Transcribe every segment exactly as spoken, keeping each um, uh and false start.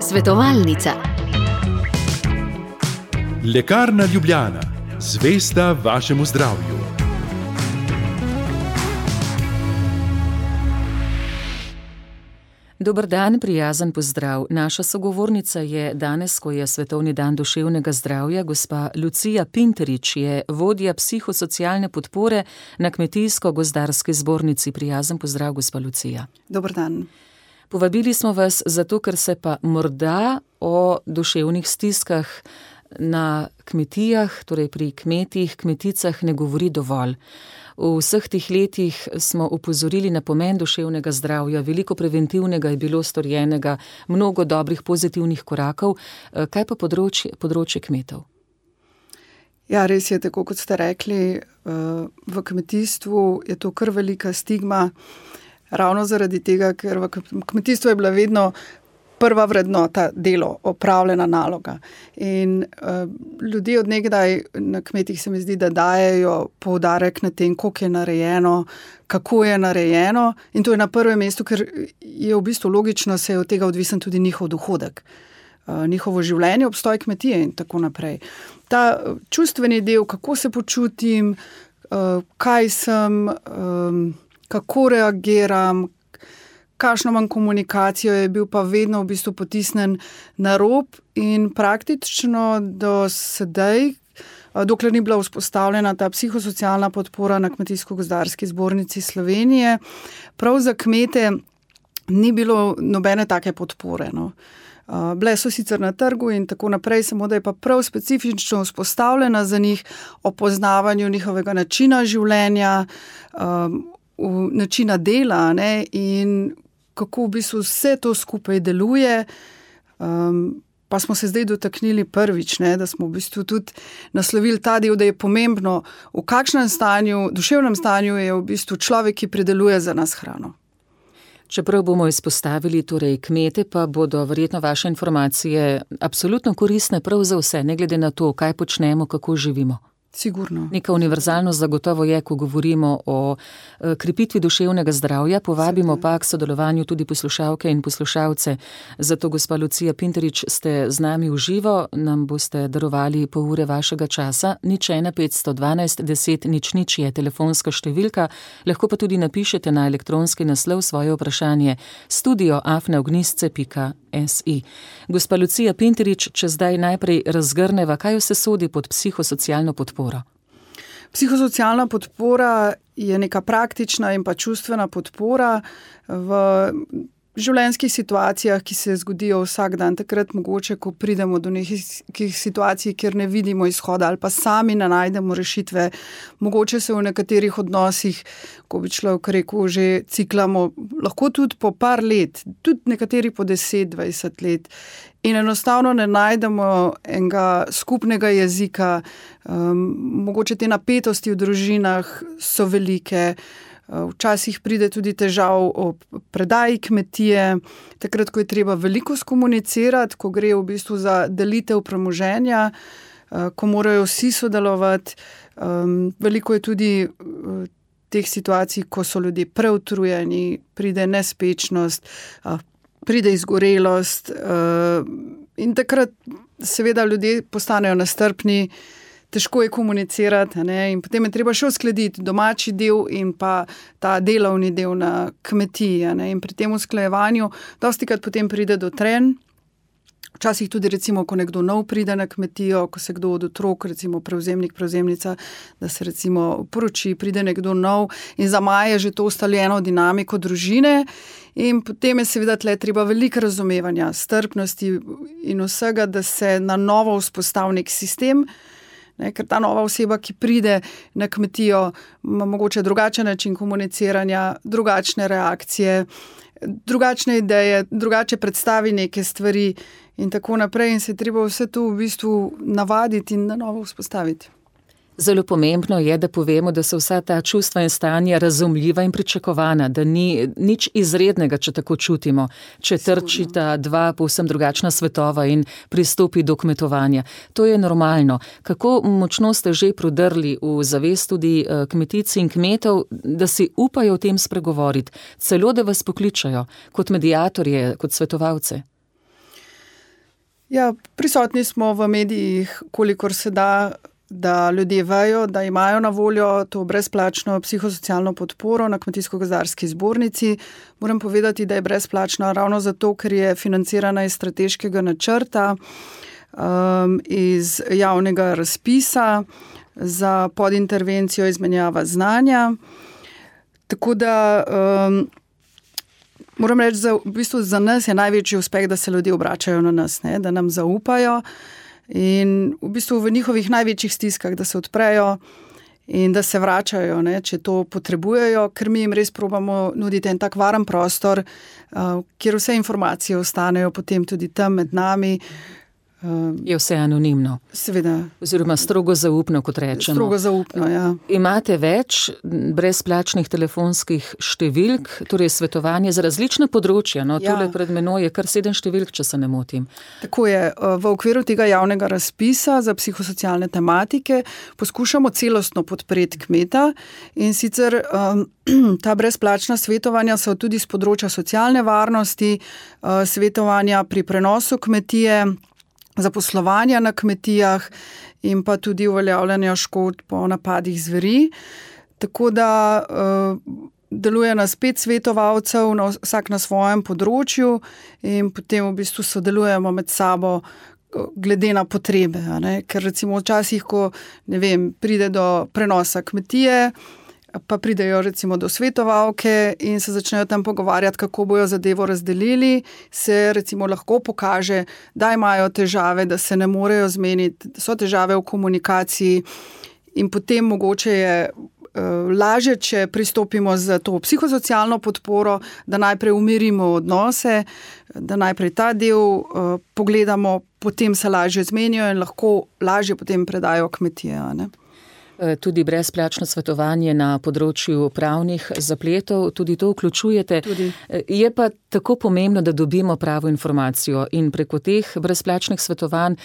Svetovalnica. Lekarna Ljubljana, zvesta vašemu zdravju. Dober dan, prijazen pozdrav. Naša sogovornica je danes, ko je Svetovni dan duševnega zdravja, gospa Lucija Pinterič, je vodja psihosocialne podpore na Kmetijsko-gozdarski zbornici. Prijazen pozdrav, gospa Lucija. Dober dan. Povabili smo vas zato, ker se pa morda o duševnih stiskah na kmetijah, torej pri kmetih, kmeticah ne govori dovolj. V vseh teh letih smo upozorili na pomen duševnega zdravja, veliko preventivnega je bilo storjenega, mnogo dobrih pozitivnih korakov. Kaj pa področje, področje kmetov? Ja, res je, tako kot ste rekli, v kmetijstvu je to kar velika stigma, ravno zaradi tega, ker v kmetijstvu je bila vedno prva vrednota delo, opravljena naloga. In uh, ljudje od nekdaj na kmetih se mi zdi, da dajejo poudarek na tem, koliko je narejeno, kako je narejeno, in to je na prvem mestu, ker je v bistvu logično, se je od tega odvisen tudi njihov dohodek, uh, njihovo življenje, obstoj kmetije in tako naprej. Ta čustveni del, kako se počutim, uh, kaj sem, um, kako reagiram, kakšno manj komunikacijo, je bil pa vedno v bistvu potisnen na rob in praktično do sedaj, dokler ni bila vzpostavljena ta psihosocialna podpora na Kmetijsko-gozdarski zbornici Slovenije, prav za kmete ni bilo nobene take podpore. No. Bile so sicer na trgu in tako naprej, samo da je pa prav specifično vzpostavljena za njih o poznavanju njihovega načina življenja, načina dela, ne, in kako v bistvu vse to skupaj deluje, um, pa smo se zdaj dotaknili prvič, ne, da smo v bistvu tudi naslovili ta del, da je pomembno, v kakšnem stanju, duševnem stanju je v bistvu človek, ki prideluje za nas hrano. Čeprav bomo izpostavili torej kmete, pa bodo verjetno vaše informacije absolutno koristne prav za vse, ne glede na to, kaj počnemo, kako živimo. Sigurno. Neka univerzalnost zagotovo je, ko govorimo o krepitvi duševnega zdravja, povabimo pa k sodelovanju tudi poslušalke in poslušalce. Zato, gospa Lucija Pinterič, ste z nami v živo, nam boste darovali pol ure vašega časa. Nič ena petsto dvanajst deset nič nič je telefonska številka, lahko pa tudi napišete na elektronski naslov svoje vprašanje studio afna ognjisce pika si. Gospa Lucija Pinterič, če zdaj najprej razgrneva, kaj vse sodi pod psihosocialno podporo? Psihosocialna podpora je neka praktična in pa čustvena podpora v življenjskih situacijah, ki se zgodijo vsak dan, takrat mogoče, ko pridemo do nekih situacij, kjer ne vidimo izhoda ali pa sami ne najdemo rešitve, mogoče se v nekaterih odnosih, ko bi človek rekel, že ciklamo, lahko tudi po par let, tudi nekateri po deset, dvajset let. In enostavno ne najdemo enega skupnega jezika, um, mogoče te napetosti v družinah so velike, včasih pride tudi težav o predaji kmetije, takrat, ko je treba veliko skomunicirati, ko gre v bistvu za delitev premoženja, ko morajo vsi sodelovati. Um, veliko je tudi teh situacij, ko so ljudje preutrujeni, pride nespečnost, pride izgorelost in takrat seveda ljudje postanejo nestrpni, težko je komunicirati, ne, in potem je treba še uskladiti domači del in pa ta delovni del na kmetiji, ne, in pri tem usklajevanju dostikrat potem pride do trenj. Včasih tudi recimo, ko nekdo nov pride na kmetijo, ko se kdo od otrok, recimo prevzemnik, prevzemnica, da se recimo poroči, pride nekdo nov in zamaje že to ustaljeno dinamiko družine in potem je seveda tle treba veliko razumevanja, strpnosti in vsega, da se na novo vzpostavi nek sistem, ne, ker ta nova oseba, ki pride na kmetijo, ima mogoče drugačen način komuniciranja, drugačne reakcije, drugačne ideje, drugače predstavi neke stvari in tako naprej in se treba vse to v bistvu navaditi in na novo vzpostaviti. Zelo pomembno je, da povemo, da so vsa ta čustva in stanja razumljiva in pričakovana, da ni nič izrednega, če tako čutimo, če trčita dva povsem drugačna svetova in pristopi do kmetovanja. To je normalno. Kako močno ste že prodrli v zavest tudi kmetic in kmetov, da si upajo o tem spregovoriti, celo da vas pokličajo kot mediatorje, kot svetovalce? Ja, prisotni smo v medijih, kolikor se da, da ljudje vejo, da imajo na voljo to brezplačno psihosocialno podporo na Kmetijsko-gozdarski zbornici. Moram povedati, da je brezplačna ravno zato, ker je financirana iz strateškega načrta, um, iz javnega razpisa za podintervencijo izmenjava znanja. Tako da um, moram reči, da v bistvu za nas je največji uspeh, da se ljudje obračajo na nas, ne, da nam zaupajo. In v bistvu v njihovih največjih stiskah, da se odprejo in da se vračajo, ne, če to potrebujejo, ker mi jim res probamo nuditi en tak varen prostor, uh, kjer vse informacije ostanejo potem tudi tam med nami. Uh, je vse anonimno. Seveda. Oziroma strogo zaupno, kot rečemo. Strogo zaupno, ja. Imate več brezplačnih telefonskih številk, torej svetovanje za različne področja. No, ja. Tule pred menoj je kar sedem številk, če se ne motim. Tako je. V okviru tega javnega razpisa za psihosocialne tematike poskušamo celostno podpreti kmeta in sicer um, ta brezplačna svetovanja so tudi z področja socialne varnosti, uh, svetovanja pri prenosu kmetije, zaposlovanja na kmetijah in pa tudi uveljavljanja škod po napadih zveri. Tako da uh, deluje nas pet svetovalcev, na, vsak na svojem področju in potem v bistvu sodelujemo med sabo glede na potrebe. A ne? Ker recimo včasih, ko ne vem, pride do prenosa kmetije, pa pridejo recimo do svetovalke in se začnejo tam pogovarjati, kako bojo zadevo razdelili, se recimo lahko pokaže, da imajo težave, da se ne morejo zmeniti, da so težave v komunikaciji in potem mogoče je uh, lažje, če pristopimo z to psihosocialno podporo, da najprej umirimo odnose, da najprej ta del uh, pogledamo, potem se lažje zmenijo in lahko lažje potem predajo kmetije, a ne? Tudi brezplačno svetovanje na področju pravnih zapletov, tudi to vključujete. Tudi. Je pa tako pomembno, da dobimo pravo informacijo in preko teh brezplačnih svetovanj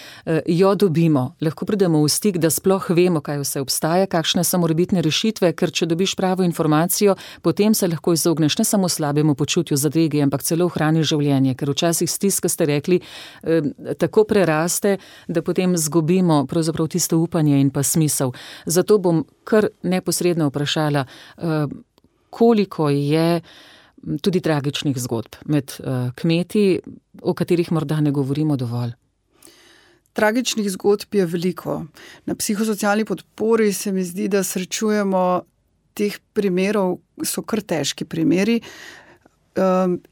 jo dobimo. Lahko pridemo v stik, da sploh vemo, kaj vse obstaja, kakšne so morebitne rešitve, ker če dobiš pravo informacijo, potem se lahko izogneš ne samo slabemu počutju zadrege, ampak celo ohraniš življenje, ker včasih stiska, ste rekli, tako preraste, da potem zgubimo pravzaprav tisto upanje in pa smisel. Zato bom kar neposredno vprašala, koliko je tudi tragičnih zgodb med kmeti, o katerih morda ne govorimo dovolj. Tragičnih zgodb je veliko. Na psihosocialni podpori se mi zdi, da srečujemo teh primerov, so kar težki primeri.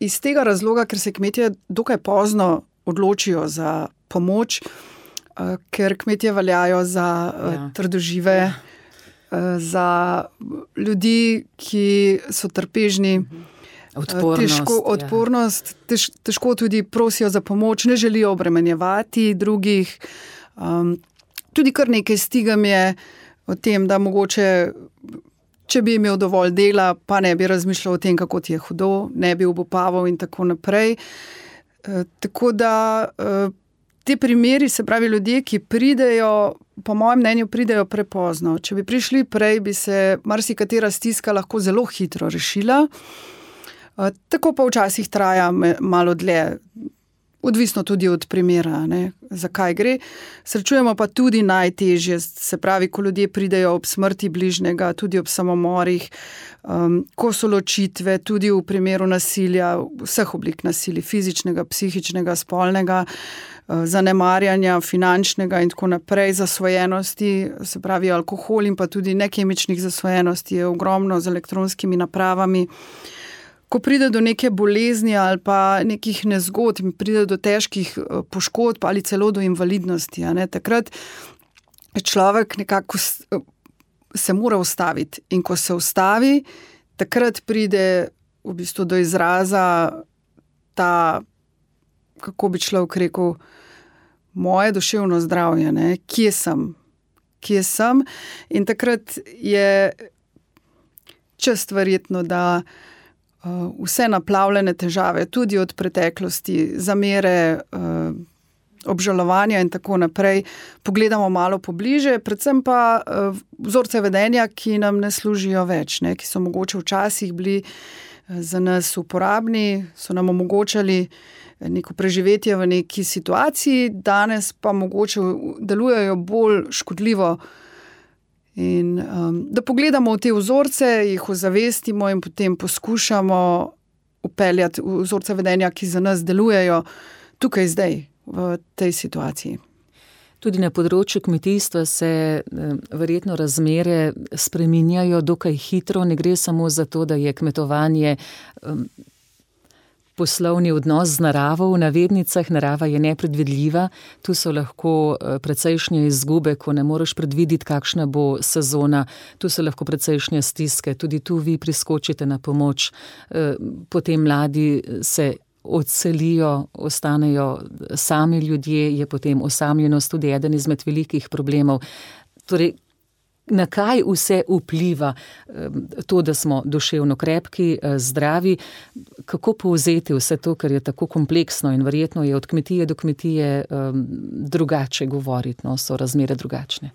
Iz tega razloga, ker se kmetje dokaj pozno odločijo za pomoč, ker kmetje veljajo za ja. trdožive, ja. za ljudi, ki so trpežni, odpornost, težko, odpornost ja. tež, težko tudi prosijo za pomoč, ne želijo obremenjevati drugih. Um, tudi kar nekaj stigam je o tem, da mogoče, če bi imel dovolj dela, pa ne bi razmišljal o tem, kako ti je hudo, ne bi obupaval in tako naprej. Uh, tako da uh, Te primeri, se pravi ljudje, ki pridejo, po mojem mnenju, pridejo prepozno. Če bi prišli prej, bi se marsikatera stiska lahko zelo hitro rešila. Tako pa včasih traja malo dlje, odvisno tudi od primera, ne, zakaj gre. Srečujemo pa tudi najtežje, se pravi, ko ljudje pridejo ob smrti bližnjega, tudi ob samomorih, um, ko so ločitve, tudi v primeru nasilja, vseh oblik nasilja, fizičnega, psihičnega, spolnega, zanemarjanja, finančnega in tako naprej, zasvojenosti, se pravi alkohol in pa tudi nekemičnih zasvojenosti je ogromno z elektronskimi napravami. Ko pride do neke bolezni ali pa nekih nezgod, pride do težkih poškodb ali celo do invalidnosti, a ne, takrat človek nekako se mora ustaviti in ko se ustavi, takrat pride v bistvu do izraza ta, kako bi človek rekel, moje duševno zdravje, ne? Kje sem, kje sem. In takrat je čast verjetno, da uh, vse naplavljene težave, tudi od preteklosti, zamere, uh, obžalovanja in tako naprej, pogledamo malo pobliže, predvsem pa uh, vzorce vedenja, ki nam ne služijo več, ne, ki so mogoče včasih bili uh, za nas uporabni, so nam omogočali neko preživetje v neki situaciji, danes pa mogoče delujejo bolj škodljivo. In um, da pogledamo v te vzorce, jih ozavestimo in potem poskušamo upeljati vzorce vedenja, ki za nas delujejo tukaj zdaj, v tej situaciji. Tudi na področju kmetijstva se verjetno razmere spreminjajo dokaj hitro. Ne gre samo za to, da je kmetovanje um, poslovni odnos z naravo, v navednicah, narava je nepredvidljiva, tu so lahko precejšnje izgube, ko ne moreš predvideti, kakšna bo sezona, tu so lahko precejšnje stiske, tudi tu vi priskočite na pomoč, potem mladi se odselijo, ostanejo sami ljudje, je potem osamljenost tudi eden izmed velikih problemov. Torej, na kaj vse vpliva to, da smo duševno krepki, zdravi, kako povzeti vse to, ker je tako kompleksno in verjetno je od kmetije do kmetije drugače govoriti, no, so razmere drugačne.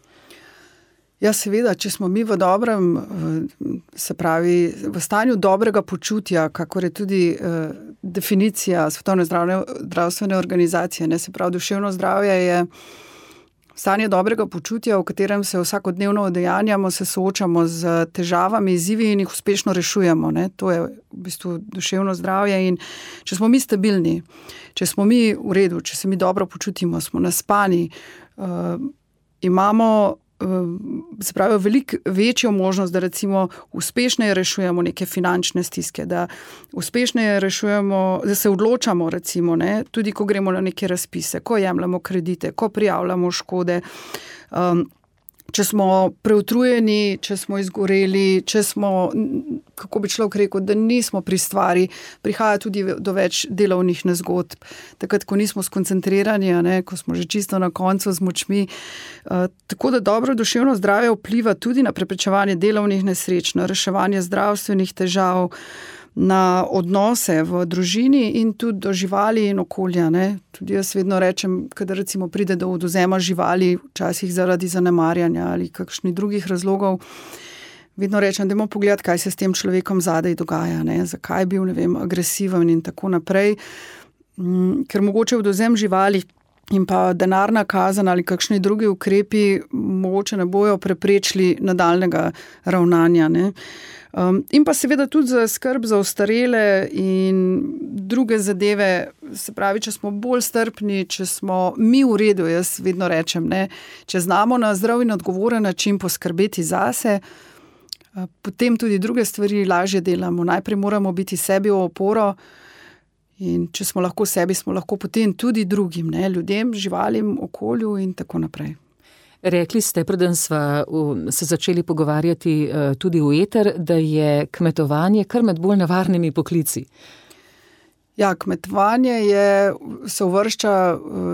Ja, seveda, če smo mi v dobrem, se pravi, v stanju dobrega počutja, kakor je tudi eh, definicija Svetovne zdravstvene organizacije, ne, se pravi, duševno zdravje je stanje dobrega počutja, v katerem se vsakodnevno udejanjamo, se soočamo z težavami, izzivi in jih uspešno rešujemo. Ne. To je v bistvu duševno zdravje in če smo mi stabilni, če smo mi v redu, če se mi dobro počutimo, smo naspani, eh, imamo se pravi, veliko večjo možnost, da recimo uspešneje rešujemo neke finančne stiske, da uspešneje rešujemo, da se odločamo recimo, ne, tudi ko gremo na neke razpise, ko jemljamo kredite, ko prijavljamo škode, um, če smo preutrujeni, če smo izgoreli, če smo, kako bi človek rekel, da nismo pri stvari, prihaja tudi do več delovnih nezgodb. Takrat, ko nismo skoncentrirani, ne, ko smo že čisto na koncu z močmi. Uh, tako da dobro duševno zdravje vpliva tudi na preprečevanje delovnih nesreč, na reševanje zdravstvenih težav, na odnose v družini in tudi do živali in okolja. Ne. Tudi jaz vedno rečem, kadar recimo pride do odvzema živali, včasih zaradi zanemarjanja ali kakšnih drugih razlogov, vedno rečem, dajmo pogledati, kaj se s tem človekom zadaj dogaja, ne. Zakaj je bil, ne vem, agresiven in tako naprej. Ker mogoče odvzem živali in pa denarna kazen ali kakšni drugi ukrepi mogoče ne bojo preprečili nadaljnega ravnanja, ne. Um, in pa seveda tudi za skrb za ostarele in druge zadeve, se pravi, če smo bolj strpni, če smo mi v redu, jaz vedno rečem, ne, če znamo na zdrav in odgovoren način poskrbeti zase, potem tudi druge stvari lažje delamo. Najprej moramo biti sebi v oporo in če smo lahko sebi, smo lahko potem tudi drugim, ne, ljudem, živalim, okolju in tako naprej. Rekli ste, preden sva se začeli pogovarjati tudi v eter, da je kmetovanje kar med bolj nevarnimi poklici. Ja, kmetovanje je, se uvršča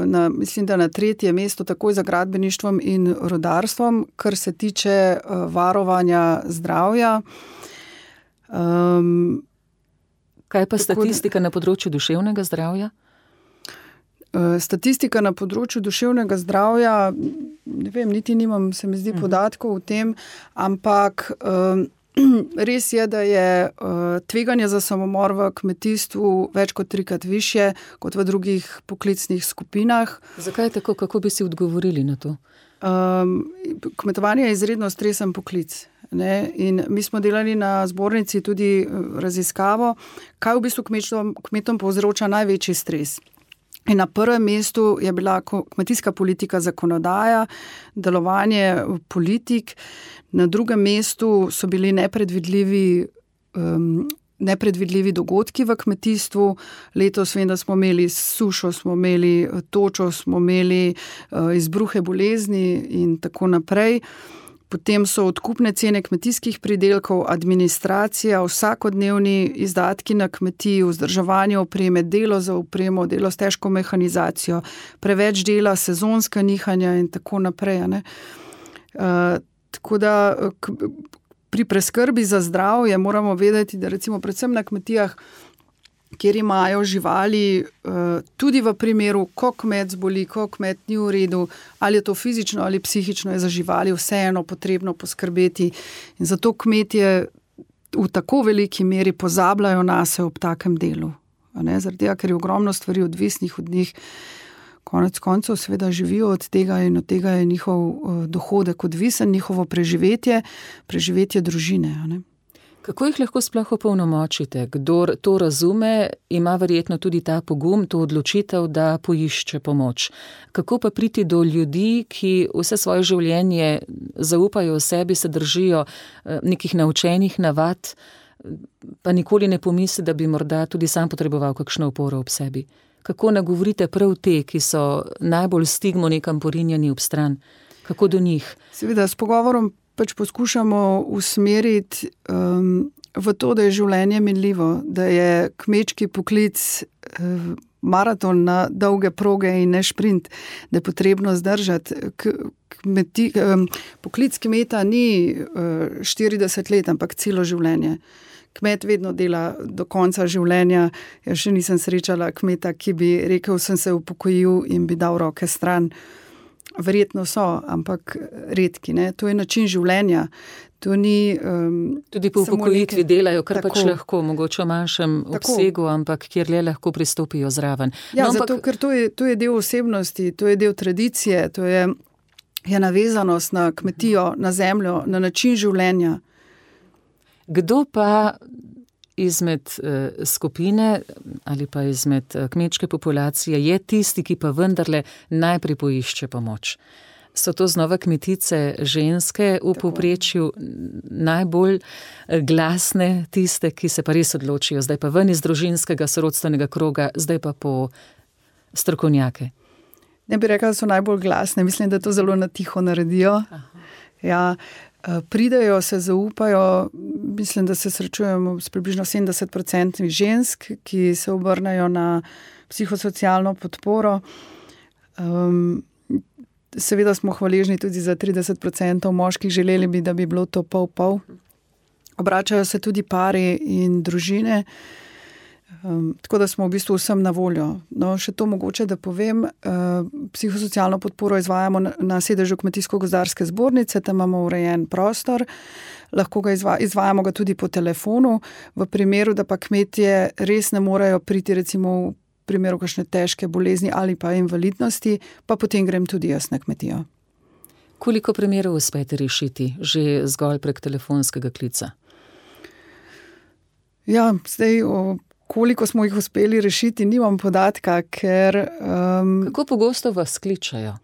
na, mislim, da na tretje mesto takoj za gradbeništvom in rudarstvom, kar se tiče varovanja zdravja. Um, Kaj pa statistika na področju duševnega zdravja? Statistika na področju duševnega zdravja, ne vem, niti nimam, se mi zdi, podatkov o tem, ampak um, res je, da je uh, tveganje za samomor v kmetijstvu več kot trikrat višje kot v drugih poklicnih skupinah. Zakaj je tako? Kako bi si odgovorili na to? Um, kmetovanje je izredno stresen poklic. Ne? In mi smo delali na zbornici tudi raziskavo, kaj v bistvu kmetom, kmetom povzroča največji stres. In na prvem mestu je bila kmetijska politika, zakonodaja, delovanje politik, na drugem mestu so bili nepredvidljivi, um, nepredvidljivi dogodki v kmetijstvu. Letos vem, da smo imeli sušo, smo imeli točo, smo imeli uh, izbruhe bolezni in tako naprej. Potem so odkupne cene kmetijskih pridelkov, administracija, vsakodnevni izdatki na kmetiji, vzdrževanje opreme, delo za opremo, delo s težko mehanizacijo, preveč dela, sezonska nihanja in tako naprej. Ne? Uh, tako da k, pri preskrbi za zdravje moramo vedeti, da recimo predvsem na kmetijah, kjer imajo živali, tudi v primeru, ko kmet zboli, ko kmet ni v redu, ali je to fizično ali psihično, je za živali vseeno potrebno poskrbeti. In zato kmetje v tako veliki meri pozabljajo nase ob takem delu. Zaradi tega, ker je ogromno stvari odvisnih od njih, konec koncev seveda živijo od tega in od tega je njihov dohodek odvisen, njihovo preživetje, preživetje družine. Ne? Kako jih lahko sploh opolnomočite? Kdor to razume, ima verjetno tudi ta pogum, to odločitev, da poišče pomoč. Kako pa priti do ljudi, ki vse svoje življenje zaupajo v sebi, se držijo nekih naučenih navad, pa nikoli ne pomisli, da bi morda tudi sam potreboval kakšno oporo ob sebi? Kako nagovorite prav te, ki so najbolj stigmo nekam porinjeni ob stran? Kako do njih? Seveda, s pogovorom pač poskušamo usmeriti um, v to, da je življenje minljivo, da je kmečki poklic um, maraton na dolge proge in ne šprint, da je potrebno zdržati. K, kmeti, um, poklic kmeta ni uh, štirideset let, ampak celo življenje. Kmet vedno dela do konca življenja. Jaz še nisem srečala kmeta, ki bi rekel, sem se upokojil in bi dal roke stran. Verjetno so, ampak redki. Ne? To je način življenja. To ni, um, tudi po upokojitvi neke... delajo, kar tako, pač lahko, mogoče v manjšem tako. obsegu, ampak kjer le lahko pristopijo zraven. Ja, no, zato, ampak... ker to je, to je del osebnosti, to je del tradicije, to je, je navezanost na kmetijo, na zemljo, na način življenja. Kdo pa izmed eh, skupine ali pa izmed eh, kmečke populacije je tisti, ki pa vendarle najprej poišče pomoč? So to znova kmetice ženske v povprečju najbolj glasne, tiste, ki se pa res odločijo, zdaj pa ven iz družinskega sorodstvenega kroga, zdaj pa po strokovnjake? Ne bi rekla, da so najbolj glasne, mislim, da to zelo na tiho naredijo. Ja, pridejo, se zaupajo, mislim, da se srečujemo s približno sedemdeset procentov žensk, ki se obrnejo na psihosocialno podporo. Um, seveda smo hvaležni tudi za trideset procentov moških, želeli bi, da bi bilo to pol-pol. Obračajo se tudi pari in družine, um, tako da smo v bistvu vsem na voljo. No, še to mogoče, da povem, uh, psihosocialno podporo izvajamo na, na sedežu Kmetijsko-gozdarske zbornice, tam imamo urejen prostor, lahko ga izva, izvajamo ga tudi po telefonu, v primeru, da pa kmetje res ne morejo priti recimo v primeru kakšne težke bolezni ali pa invalidnosti, pa potem grem tudi jaz na kmetijo. Koliko primerov uspete rešiti že zgolj prek telefonskega klica? Ja, zdaj, o, koliko smo jih uspeli rešiti, nimam podatka, ker... Um, Kako pogosto vas kličajo?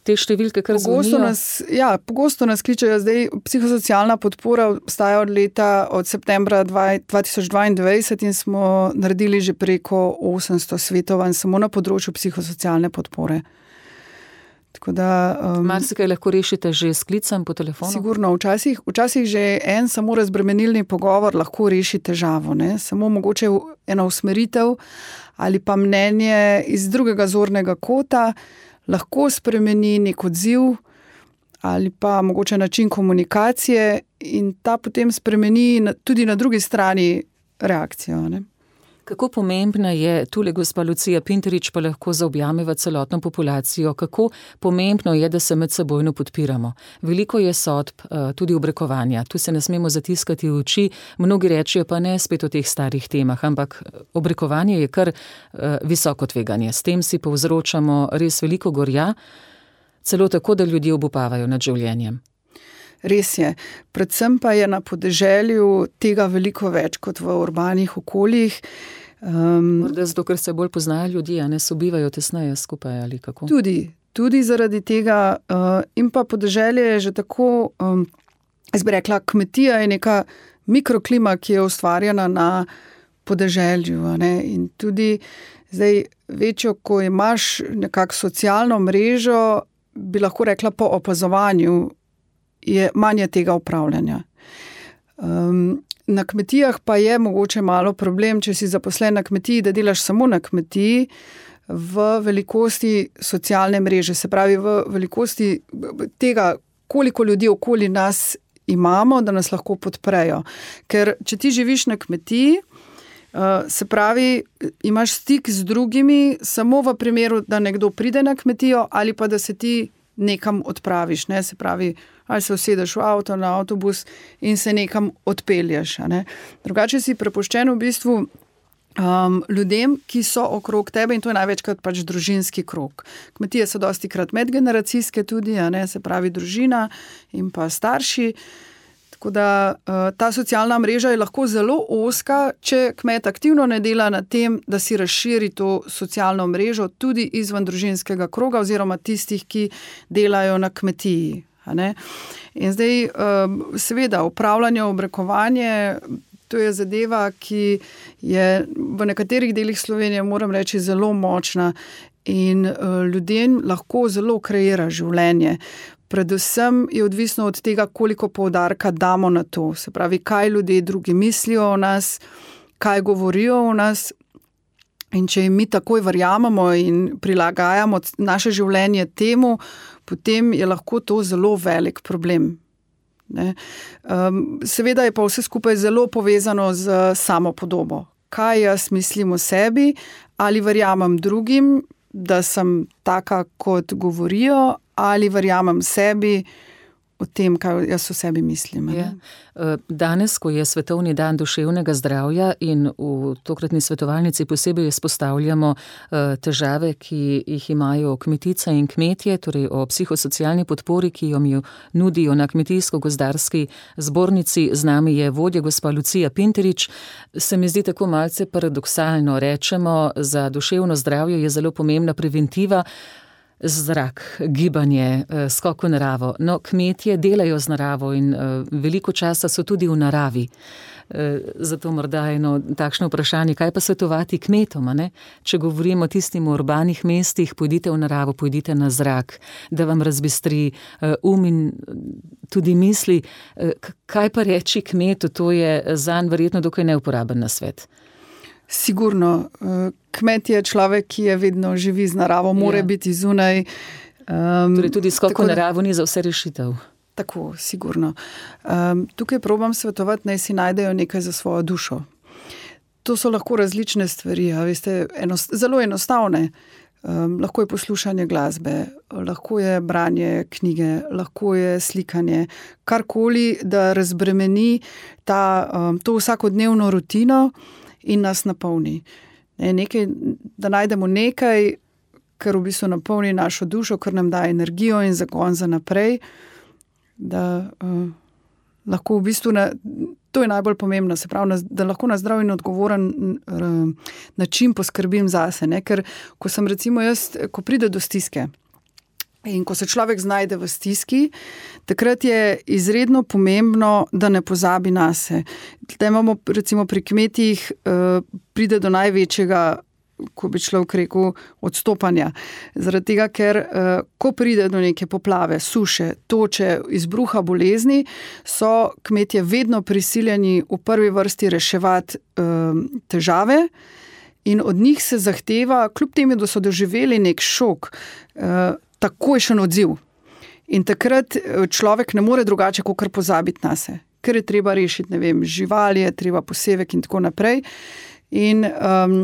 Te številke kar pogosto nas, ja, pogosto nas kličajo. Zdaj, psihosocialna podpora obstaja od leta, od septembra dva tisoč dvaindvajset in smo naredili že preko osemsto svetovanj samo na področju psihosocialne podpore. Tako da... Um, Marsikaj lahko rešite že s klicem po telefonu? Sigurno, včasih, včasih že en samo razbremenilni pogovor lahko reši težavo, ne? Samo mogoče ena usmeritev ali pa mnenje iz drugega zornega kota lahko spremeni nek odziv ali pa mogoče način komunikacije in ta potem spremeni tudi na drugi strani reakcijo. Ne? Kako pomembna je, tule gospa Lucija Pinterič pa lahko zaobjameva celotno populacijo, kako pomembno je, da se med sebojno podpiramo. Veliko je sodb, tudi obrekovanja, tu se ne smemo zatiskati v oči, mnogi rečejo pa ne spet o teh starih temah, ampak obrekovanje je kar visoko tveganje. S tem si povzročamo res veliko gorja, celo tako, da ljudje obupavajo nad življenjem. Res je. Predvsem pa je na podeželju tega veliko več kot v urbanih okoljih. Um, Morda zato, ker se bolj poznajo ljudje, a ne sobivajo tesneje skupaj ali kako? Tudi, tudi zaradi tega. Uh, in pa podeželje je že tako, um, jaz bi rekla, kmetija je neka mikroklima, ki je ustvarjena na podeželju. Ne? In tudi zdaj večjo, ko imaš nekako socialno mrežo, bi lahko rekla po opazovanju, je manje tega upravljanja. Um, na kmetijah pa je mogoče malo problem, če si zaposlen na kmetiji, da delaš samo na kmetiji v velikosti socialne mreže, se pravi v velikosti tega koliko ljudi okoli nas imamo, da nas lahko podprejo. Ker če ti živiš na kmetiji, se pravi, imaš stik z drugimi samo v primeru, da nekdo pride na kmetijo ali pa da se ti nekam odpraviš, ne? Se pravi, ali se usedeš v avto, na avtobus in se nekam odpelješ. Ne? Drugače si prepuščen v bistvu um, ljudem, ki so okrog tebe in to je največkrat pač družinski krog. Kmetije so dosti krat medgeneracijske tudi, a ne? Se pravi družina in pa starši. Tako da ta socialna mreža je lahko zelo ozka, če kmet aktivno ne dela na tem, da si razširi to socialno mrežo tudi izven družinskega kroga oziroma tistih, ki delajo na kmetiji. A ne? In zdaj seveda upravljanje, obrekovanje, to je zadeva, ki je v nekaterih delih Slovenije, moram reči, zelo močna in ljudem lahko zelo kreira življenje. Predvsem je odvisno od tega, koliko poudarka damo na to. Se pravi, kaj ljudje drugi mislijo o nas, kaj govorijo o nas. In če jim mi takoj verjamemo in prilagajamo naše življenje temu, potem je lahko to zelo velik problem. Ne? Um, seveda je pa vse skupaj zelo povezano z samopodobo. Kaj jaz mislim o sebi, ali verjamem drugim, da sem taka, kot govorijo, ali verjamem sebi o tem, kaj jaz o sebi mislim. Ja. Danes, ko je Svetovni dan duševnega zdravja in v tokratni svetovalnici posebej izpostavljamo težave, ki jih imajo kmetice in kmetje, torej o psihosocialni podpori, ki jo nudijo na Kmetijsko-gozdarski zbornici. Z nami je vodja gospa Lucija Pinterič. Se mi zdi tako malce paradoksalno. Rečemo, za duševno zdravje je zelo pomembna preventiva, zrak, gibanje, skok v naravo. No, kmetje delajo z naravo in veliko časa so tudi v naravi. Zato morda eno takšno vprašanje, kaj pa svetovati kmetom, ne? Če govorimo o tistim v urbanih mestih, pojdite v naravo, pojdite na zrak, da vam razbistri um in tudi misli. Kaj pa reči kmetu, to je zanj verjetno dokaj neuporaben nasvet. Sigurno. Kmet je človek, ki je vedno živi z naravo, mora ja. biti zunaj. Um, torej tudi skok v naravo ni za vse rešitev. Tako, sigurno. Um, tukaj probam svetovati, naj si najdejo nekaj za svojo dušo. To so lahko različne stvari, a veste, enost, zelo enostavne. Um, lahko je poslušanje glasbe, lahko je branje knjige, lahko je slikanje, karkoli, da razbremeni ta, um, to vsakodnevno rutino in nas napolni. Ne, nekaj, da najdemo nekaj, kar v bistvu napolni našo dušo, kar nam da energijo in zagon za naprej, da uh, lahko v bistvu, na, to je najbolj pomembno, se pravi, da lahko na zdrav in odgovoren uh, način poskrbim zase, ne, ker ko sem recimo jaz, ko pride do stiske, in ko se človek znajde v stiski, takrat je izredno pomembno, da ne pozabi nase. Da imamo recimo pri kmetih uh, pride do največjega, ko bi človek rekel, odstopanja. Zaradi tega, ker uh, ko pride do neke poplave, suše, toče, izbruha bolezni, so kmetje vedno prisiljeni v prvi vrsti reševati uh, težave in od njih se zahteva, kljub temu, da so doživeli nek šok, uh, takojšen odziv. In takrat človek ne more drugače, kot kar pozabiti nase. Ker je treba rešiti, ne vem, živali, je treba posevek in tako naprej. In, um,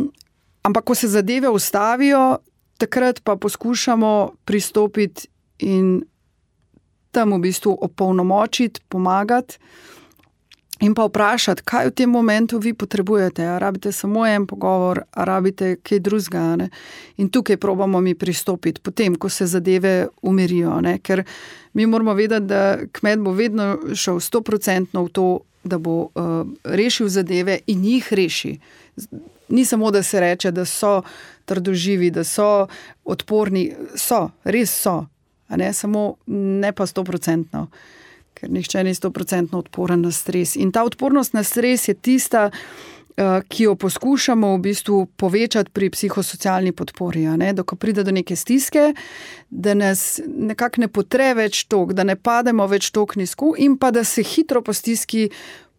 ampak, ko se zadeve ustavijo, takrat pa poskušamo pristopiti in tam v bistvu opolnomočiti, pomagati in pa vprašati, kaj v tem momentu vi potrebujete. A rabite samo en pogovor, a rabite kaj drugega, ne? In tukaj probamo mi pristopiti, potem, ko se zadeve umirijo, ne? Ker mi moramo vedeti, da kmet bo vedno šel stoprocentno v to, da bo uh, rešil zadeve in jih reši. Ni samo, da se reče, da so trdoživi, da so odporni, so, res so, a ne, samo ne pa stoprocentno. Ker nihče ni stoprocentno odporen na stres. In ta odpornost na stres je tista, ki jo poskušamo v bistvu povečati pri psihosocialni podpori. Ne? Da ko pride do neke stiske, da nas nekako ne potre več tok, da ne pademo več tok nizko in pa da se hitro po stiski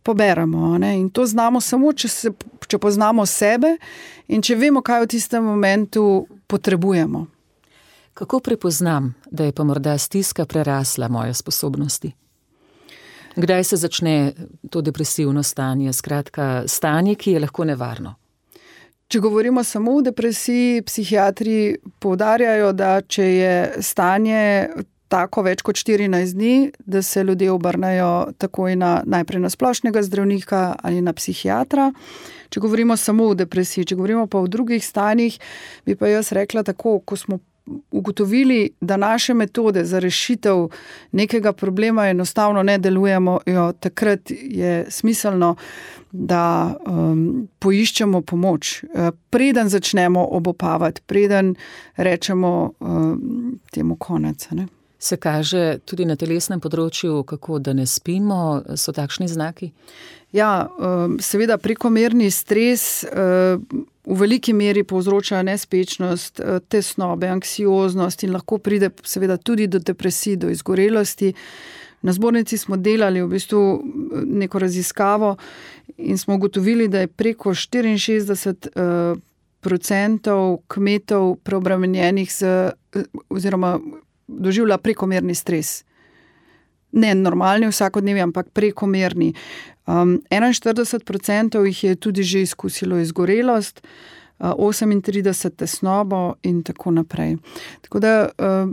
poberemo. Ne? In to znamo samo, če, se, če poznamo sebe in če vemo, kaj v tistem momentu potrebujemo. Kako prepoznam, da je pa morda stiska prerasla moje sposobnosti? Kdaj se začne to depresivno stanje, skratka stanje, ki je lahko nevarno? Če govorimo samo o depresiji, psihiatri poudarjajo, da če je stanje tako več kot štirinajst dni, da se ljudje obrnejo takoj na, najprej na splošnega zdravnika ali na psihiatra. Če govorimo samo o depresiji, če govorimo pa o drugih stanjih, bi pa jaz rekla tako, ko smo ugotovili, da naše metode za rešitev nekega problema enostavno ne delujemo, jo, takrat je smiselno, da um, poiščemo pomoč. Preden začnemo obopavati, preden rečemo um, temu konec. Ne? Se kaže tudi na telesnem področju, kako da ne spimo, so takšni znaki? Ja, seveda prekomerni stres v veliki meri povzroča nespečnost, tesnobe, anksioznost in lahko pride seveda tudi do depresij, do izgorelosti. Na zbornici smo delali v bistvu neko raziskavo in smo ugotovili, da je preko štiriinšestdeset procentov kmetov preobremenjenih z, oziroma doživlja prekomerni stres. Ne normalni vsakodnevni, ampak prekomerni. Um, enainštirideset procentov jih je tudi že izkusilo izgorelost, uh, osemintrideset tesnobo in tako naprej. Tako da uh,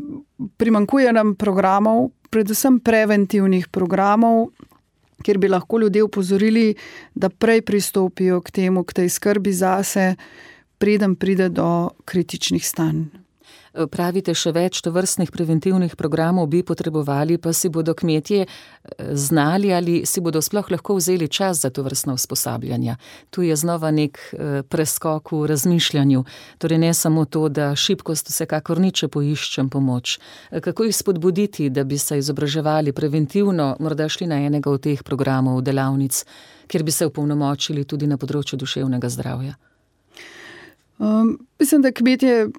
primanjkuje nam programov, predvsem preventivnih programov, kjer bi lahko ljudje upozorili, da prej pristopijo k temu, k tej skrbi zase, preden pride do kritičnih stanj. Pravite, še več tovrstnih preventivnih programov bi potrebovali, pa si bodo kmetje znali ali si bodo sploh lahko vzeli čas za tovrstna usposabljanja. Tu je znova nek preskok v razmišljanju. Torej ne samo to, da šibkost vsekakor ni, če poiščem pomoč. Kako jih spodbuditi, da bi se izobraževali preventivno, morda šli na enega od teh programov, delavnic, kjer bi se opolnomočili tudi na področju duševnega zdravja? Um, mislim, da kmetje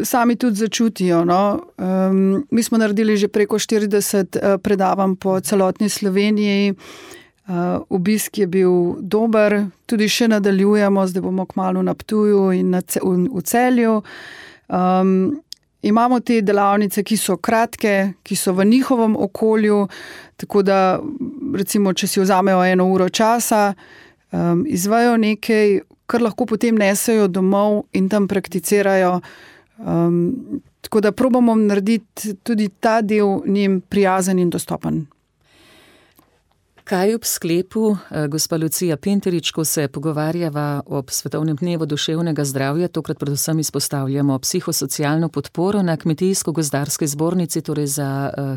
sami tudi začutijo. No? Um, mi smo naredili že preko štirideset uh, predavanj po celotni Sloveniji. Uh, obisk je bil dober, tudi še nadaljujemo, zdaj bomo kmalu na Ptuju in na ce, v, v Celju. Um, imamo te delavnice, ki so kratke, ki so v njihovem okolju, tako da recimo, če si vzamejo eno uro časa, um, izvajo nekaj, kar lahko potem nesejo domov in tam prakticirajo. Um, tako da probamo narediti tudi ta del njim prijazen in dostopen. Kaj ob sklepu, gospa Lucija Pinterič, ko se pogovarjava ob Svetovnem dnevu duševnega zdravja, tokrat predvsem izpostavljamo psihosocialno podporo na Kmetijsko-gozdarski zbornici, torej za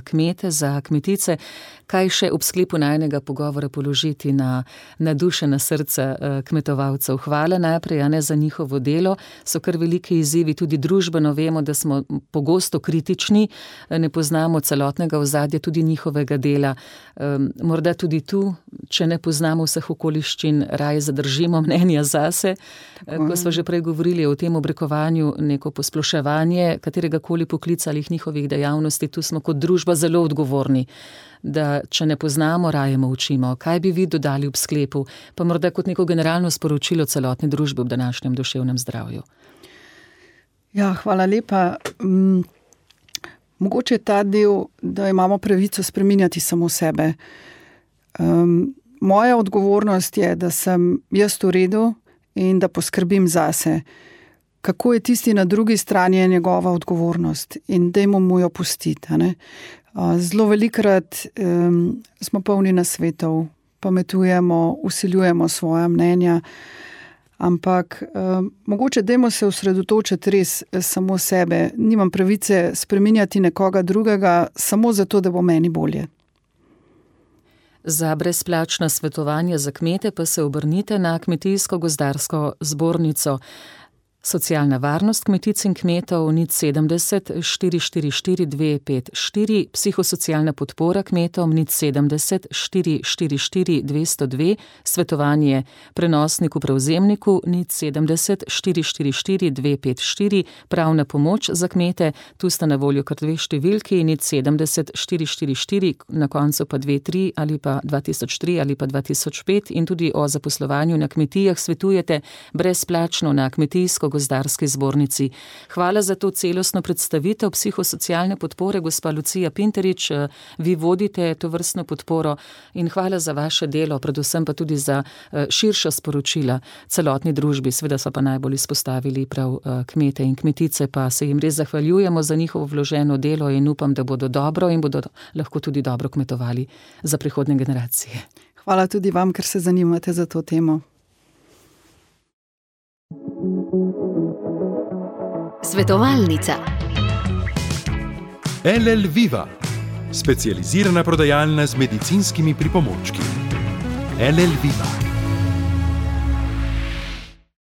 kmete, za kmetice, kaj še ob sklepu najnega pogovora položiti na, na duše, na srce kmetovalcev? Hvala najprej, a ne za njihovo delo, so kar veliki izzivi, tudi družbeno vemo, da smo pogosto kritični, ne poznamo celotnega ozadja, tudi njihovega dela, morda tudi tu, če ne poznamo vseh okoliščin, raje zadržimo mnenja zase. Tako. Ko smo že prej govorili o tem obrekovanju, neko posploševanje kateregakoli poklica ali njihovih dejavnosti, tu smo kot družba zelo odgovorni, da če ne poznamo, raje molčimo. Kaj bi vi dodali ob sklepu, pa morda kot neko generalno sporočilo celotne družbe ob današnjem duševnem zdravju? Ja, hvala lepa. Um, mogoče ta del, da imamo pravico spreminjati samo sebe. Um, moja odgovornost je, da sem jaz v redu in da poskrbim zase. Kako je tisti na drugi strani, je njegova odgovornost in dajmo mu jo pustiti. A ne? Uh, zelo velikrat um, smo polni nasvetov, pametujemo, vsiljujemo svoja mnenja, ampak um, mogoče dajmo se osredotočiti res samo sebe. Nimam pravice spreminjati nekoga drugega samo zato, da bo meni bolje. Za brezplačna svetovanja za kmete pa se obrnite na Kmetijsko-gozdarsko zbornico. Socialna varnost kmetic in kmetov nič sedemdeset štiri štiri štiri dve pet štiri, psihosocialna podpora kmetom nič sedemdeset štiri štiri štiri dve sto dve, svetovanje prenosniku prevzemniku nič sedemdeset štiri štiri štiri dve pet štiri, pravna pomoč za kmete, tu sta na voljo kar dve številki, nič sedemdeset štiri štiri štiri, na koncu pa dve tri ali pa dva tisoč tri ali pa dva tisoč pet, in tudi o zaposlovanju na kmetijah svetujete brezplačno na Kmetijsko gozdarski zbornici. Hvala za to celostno predstavitev psihosocialne podpore, gospa Lucija Pinterič. Vi vodite to vrstno podporo in hvala za vaše delo, predvsem pa tudi za širša sporočila celotni družbi. Seveda so pa najbolj izpostavili prav kmete in kmetice, pa se jim res zahvaljujemo za njihovo vloženo delo in upam, da bodo dobro in bodo lahko tudi dobro kmetovali za prihodnje generacije. Hvala tudi vam, ker se zanimate za to temo. Svetovalnica. L L Viva, specializirana prodajalna z medicinskimi pripomočki. L L Viva.